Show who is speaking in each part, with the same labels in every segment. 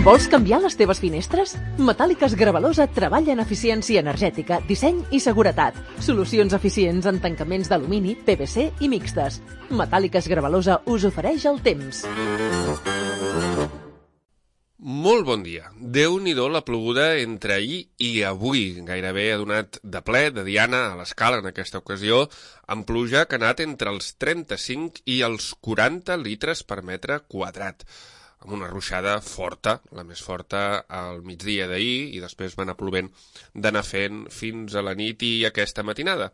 Speaker 1: Vols canviar les teves finestres? Metàl·liques Gravalosa treballa en eficiència energètica, disseny i seguretat. Solucions eficients en tancaments d'alumini, PVC i mixtes. Metàl·liques Gravalosa us ofereix el temps.
Speaker 2: Molt bon dia. Déu-n'hi-do la ploguda entre ahir i avui. Gairebé ha donat de ple de diana a l'escala en aquesta ocasió, amb pluja que ha anat entre els 35 i els 40 litres per metre quadrat, amb una ruixada forta, la més forta al migdia d'ahir, i després va anar plovent d'anar fent fins a la nit i aquesta matinada.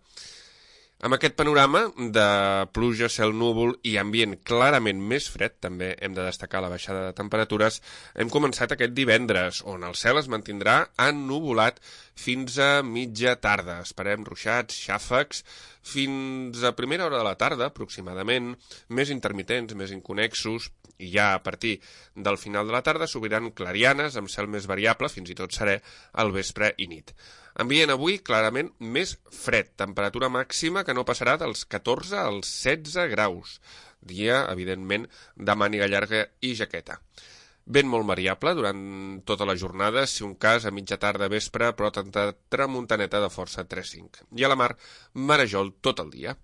Speaker 2: Amb aquest panorama de pluja, cel núvol i ambient clarament més fred, també hem de destacar la baixada de temperatures, hem començat aquest divendres, on el cel es mantindrà ennuvolat fins a mitja tarda. Esperem ruixats, xàfecs, fins a primera hora de la tarda, aproximadament, més intermitents, més inconexos, i ja a partir del final de la tarda s'obriran clarianes amb cel més variable, fins i tot serè al vespre i nit. Ambient avui clarament més fred, temperatura màxima que no passarà dels 14 als 16 graus. Dia, evidentment, de màniga llarga i jaqueta. Vent molt variable durant tota la jornada, si un cas a mitja tarda vespre, però tramuntaneta de força 3-5. I a la mar, marejol tot el dia.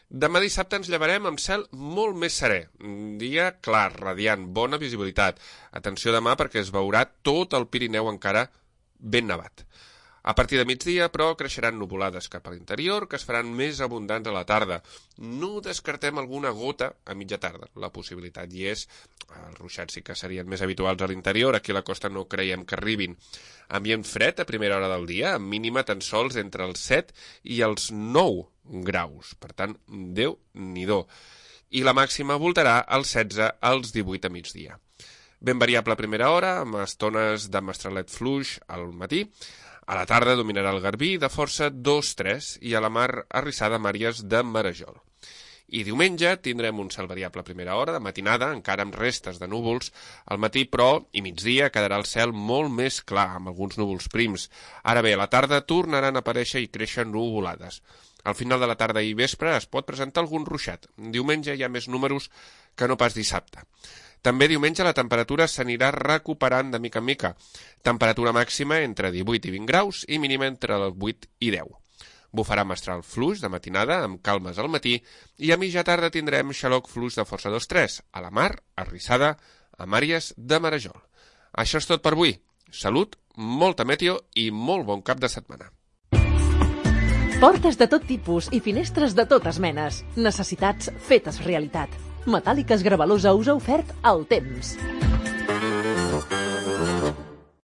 Speaker 2: Demà dissabte ens llevarem amb cel molt més serè. Dia clar, radiant, bona visibilitat. Atenció demà perquè es veurà tot el Pirineu encara ben nevat. A partir de migdia, però, creixeran nuvolades cap a l'interior, que es faran més abundants a la tarda. No descartem alguna gota a mitja tarda. La possibilitat hi és. Els ruixats sí que serien més habituals a l'interior, aquí a la costa no creiem que arribin. Ambient fred a primera hora del dia, amb mínima tan sols entre els 7 i els 9 graus. Per tant, Déu-n'hi-do. I la màxima voltarà als 16 als 18 a migdia. Ben variable a primera hora, amb estones de mestralet fluix al matí. A la tarda dominarà el garbí de força 2-3 i a la mar arrissada amb àrees de marejol. I diumenge tindrem un cel variable a primera hora, de matinada, encara amb restes de núvols. Al matí, però, i migdia, quedarà el cel molt més clar, amb alguns núvols prims. Ara bé, a la tarda tornaran a aparèixer i créixer nuvolades. Al final de la tarda i vespre es pot presentar algun ruixat. Diumenge hi ha més números que no pas dissabte. També diumenge la temperatura s'anirà recuperant de mica en mica. Temperatura màxima entre 18 i 20 graus i mínima entre els 8 i 10. Bufarà mestral fluix de matinada amb calmes al matí i a mitja tarda tindrem xaloc fluix de força 2-3. A la mar, arrissada, amb àrees de marejol. Això és tot per avui. Salut, molta meteo i molt bon cap de setmana.
Speaker 1: Portes de tot tipus i finestres de totes menes. Necessitats fetes realitat. Metàl·liques Gravalosa us ha ofert el temps.